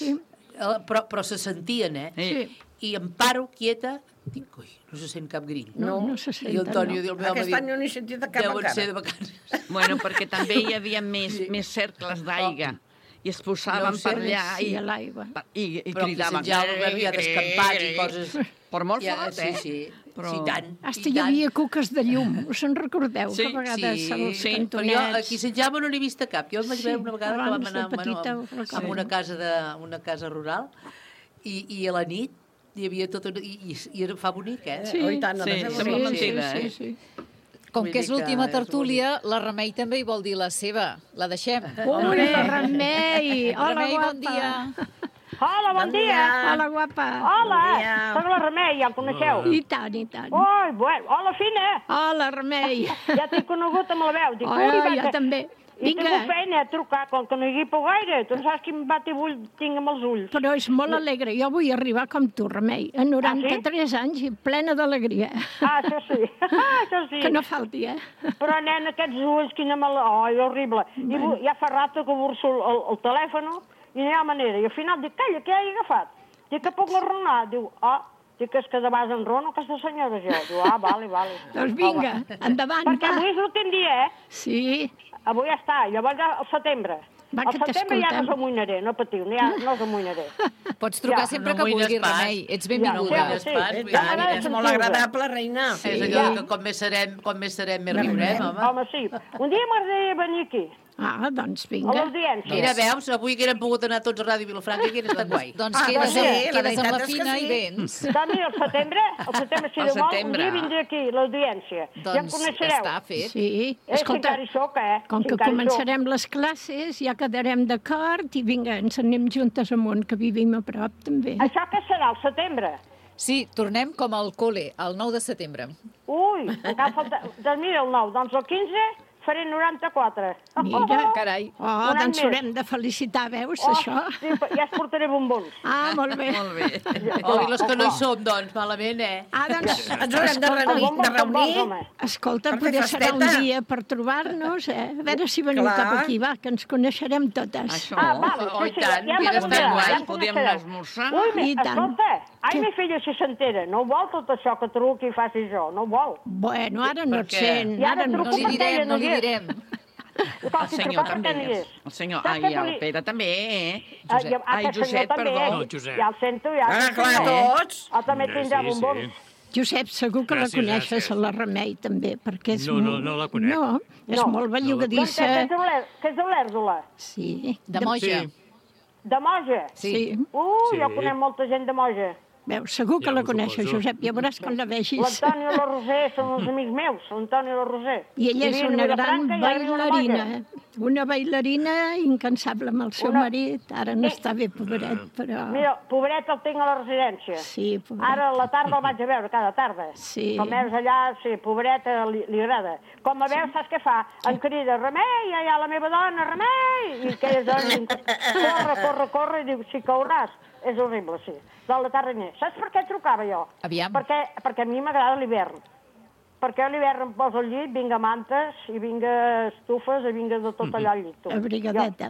Però se sentien, Sí. I em paro quieta, dic, ui, no se sent cap grill. No se senten, I l'Antonio diu, Aquest any no n'he sentit de cap deuen encara. ser de vacances. Bueno, perquè també hi havia més cercles d'aigua. I es posaven per allà i cridaven. Però aquí havia descampats i coses... Per molt fort, Sí, tant. Hasta hi havia cuques de llum, us en recordeu? Que a vegades els cantonets... Però jo aquí a Sant Jaume no n'he vist cap. Jo em vaig veure una vegada que vam anar a una casa rural i a la nit hi havia tot... I fa bonic, Sí, sembla mentida, sí. Com que és l'última tertúlia, la Remei també hi vol dir la seva. La deixem. La Remei! Hola, Remei, guapa! bon dia! Hola, bon dia. Hola, guapa. Hola, soc la Remei, ja em coneixeu? I tant. Ui, bueno, hola, Fina. Hola, Remei. Ja t'he conegut amb la veu. Dic, jo també. I tinc feina a trucar, com que no hi guipo gaire. Tu saps quin batibull tinc amb els ulls. Però és molt alegre. Jo vull arribar com tu, Remei, a 93 anys i plena d'alegria. Això sí. Això sí. Que no falti, Però, nen, aquests ulls, quina mala... Ai, horrible. I ja fa rato que burso el telèfon i no hi ha manera. I al final dic, calla, què he agafat? Dic que puc enronar. Diu, dic, és que de base enrono aquesta senyora jo. Diu, vale. Doncs vinga, endavant. Perquè avui és l'últim dia, Sí. Avui ja està, llavors al setembre. Va, al setembre ja no s'amoïnaré, no patiu, no s'amoïnaré. Pots trucar sempre que vulguis, Remei. Ets benvinguda. És molt agradable, reina. És allò que com més serem, més riurem, home. Home, sí. Un dia m'agradaria venir aquí. Doncs vinga. A l'audiència. Mira, veus, avui que haguérem pogut anar tots a Ràdio Vilafranca i hauria estat guai. Doncs quedes amb la Fina i vens. Doncs mira, al setembre, si de vol, un dia vindré aquí, l'audiència. Ja em coneixereu. Està fet. Sí. Escolta, com que començarem les classes, ja quedarem d'acord i vinga, ens anem juntes amunt, que vivim a prop, també. Això què serà, al setembre? Sí, tornem com al col·le, el 9 de setembre. Ui, encara falta... Doncs mira, el 9, doncs el 15... faré 94. Mira, carai. Doncs haurem de felicitar, veus, això? Sí, ja es portaré bombons. Molt bé. I los que no hi som, doncs, malament, doncs... Ens haurem de reunir. Escolta, potser serà un dia per trobar-nos, A veure si veniu cap aquí, va, que ens coneixerem totes. Això. Oh, i tant, que estan guai. Podíem anar a esmorzar. Ui, escolta, mi filla si s'entera, no vol tot això que truqui i faci jo, no vol. Bueno, ara no et sent. Ara no li direm, no li direm. El senyor també. El senyor, el Pere també, Josep, perdó. No, Josep. Ja el sento, ja. Clar, tots. També tindrà bombons. Josep, segur que la coneixes, a la Remei, també, perquè és... No la conec. No, és molt bellugadissa. Que és d'Olèrdola. Sí. De Moja. De Moja? Sí. Jo conec molta gent de Moja. Veus, segur que Ja la ho coneixes, suposo. Josep, ja veuràs quan la vegis. L'Antoni i la Roser són uns amics meus, l'Antoni i la Roser. I ella és Vivien a una gran Vilafranca i ara viu a la bailarina, Molla. una bailarina incansable amb el seu marit, ara no està bé, pobret, però... Mira, pobret el tinc a la residència. Sí, pobret. Ara a la tarda el vaig a veure, cada tarda. Sí. Com veus allà, sí, pobret, li agrada. Com a veus, saps què fa? Em crida, Remei, ja hi ha la meva dona, Remei! I aquelles dones, corre, i diu, si cauràs. És horrible, sí. De la tarda ni. Saps per què trucava jo? Aviam. Perquè a mi m'agrada l'hivern. Perquè a l'hivern em poso al llit, vinga mantes, i vinga estufes, i vinga de tot allà al llit. Tu. Abrigadeta.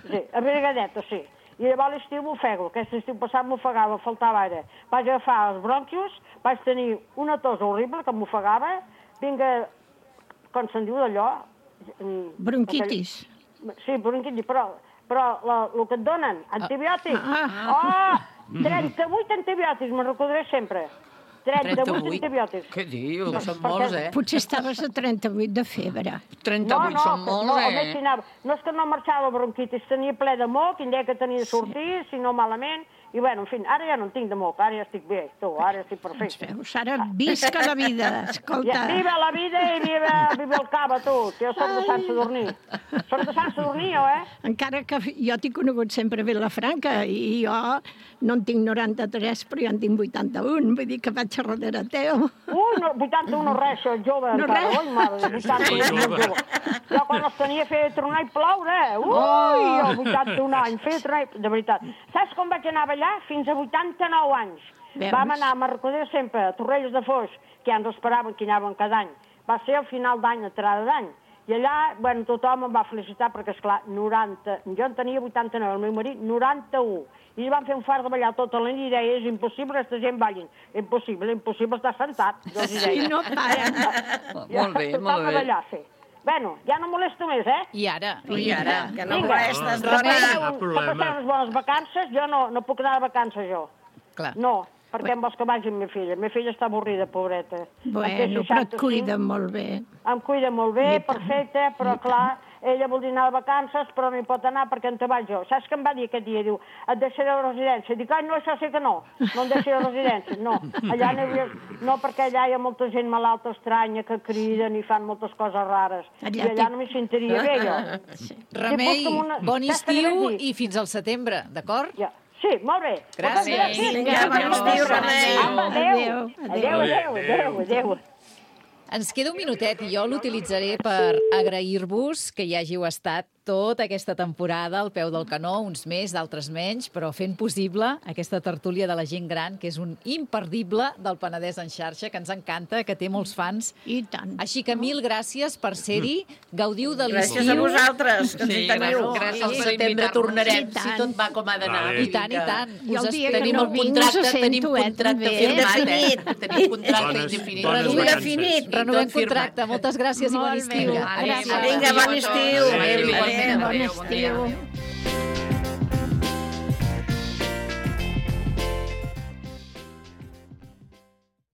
Sí, abrigadeta, sí. I llavors l'estiu m'ofego. Aquest estiu passat m'ofegava, faltava aire. Vaig agafar els bronquios, vaig tenir una tos horrible que m'ofegava, vinga, com se'n diu d'allò... Bronquitis. Sí, bronquitis, però el que et donen, antibiòtics. 38 antibiòtics, me'n recordaré sempre. 38 antibiòtics. Què dius? No, són molts, Potser estaves a 38 de febre. 38 són molts, No és que no marxava la bronquitis, tenia ple de moc, i deia que tenia de sortir, si no malament, i bueno, en fi, ara ja no en tinc de moc, ara ja estic bé, tu, ara estic perfecte. Veus, ara visca la vida, escolta. Viva la vida i viva el cava, tu, que jo soc de Sant Sadurní. Soc de Sant Sadurní, jo, Encara que jo t'he conegut sempre a Vilafranca, i jo no en tinc 93, però jo en tinc 81, vull dir que vaig a darrere teu. No, 81 res, això, jove, no encara. Res. Ui, mare, 81 jove. Jo quan els tenia feia tronar i ploure. Jo 81 anys, feia tronar i... De veritat. Saps com vaig anar a ballar? Fins a 89 anys. Veus? Vam anar, me'n recordaré sempre, a Torrelles de Foix, que ja ens esperaven que hi anaven cada any. Va ser al final d'any, a entrada d'any. I allà, bueno, tothom em va felicitar perquè, esclar, 90... Jo en tenia 89, el meu marit 91. I van fer un fart de ballar tota la nit i deia, és impossible que aquesta gent ballin. Impossible estar sentat. Sí, no paren. Molt bé, molt bé. Ballar, sí. Bueno, ja no molesto més, I ara? Que no molestes, que passem unes bones vacances. Jo no puc anar de vacances, jo. Clar. No, perquè em vols que vagi amb ma filla. La meva filla està avorrida, pobreta. Bueno, però et cuida molt bé. Em cuida molt bé, perfecte, però clar, ella vol anar de vacances, però no hi pot anar perquè en te vaig jo. Saps què em va dir aquest dia? Diu, et deixaré a la residència. Dic, no, això sí que no em deixaré a la residència. No, allà no, perquè allà hi ha molta gent malalta estranya que criden i fan moltes coses rares. I allà no m'hi sentiria bé, jo. Remei, bon estiu i fins al setembre, d'acord? Sí, molt bé. Gràcies. Vinga, bon estiu, Remei. Adéu. Ens queda un minutet i jo l'utilitzaré per agrair-vos que hi hàgiu estat tota aquesta temporada al peu del canó, uns més, d'altres menys, però fent possible aquesta tertúlia de la gent gran, que és un imperdible del Penedès en xarxa, que ens encanta, que té molts fans. I tant. Així que mil gràcies per ser-hi, gaudiu de l'estiu. Gràcies a vosaltres, que ens hi teniu. Gràcies al setembre tornarem, si tot va com ha d'anar. I tant, i tant. Tenim el contracte, tenim contracte firmat. Tenim contracte indefinit. Renovem contracte. Moltes gràcies i bon estiu. Vinga, bon estiu. Bon estiu.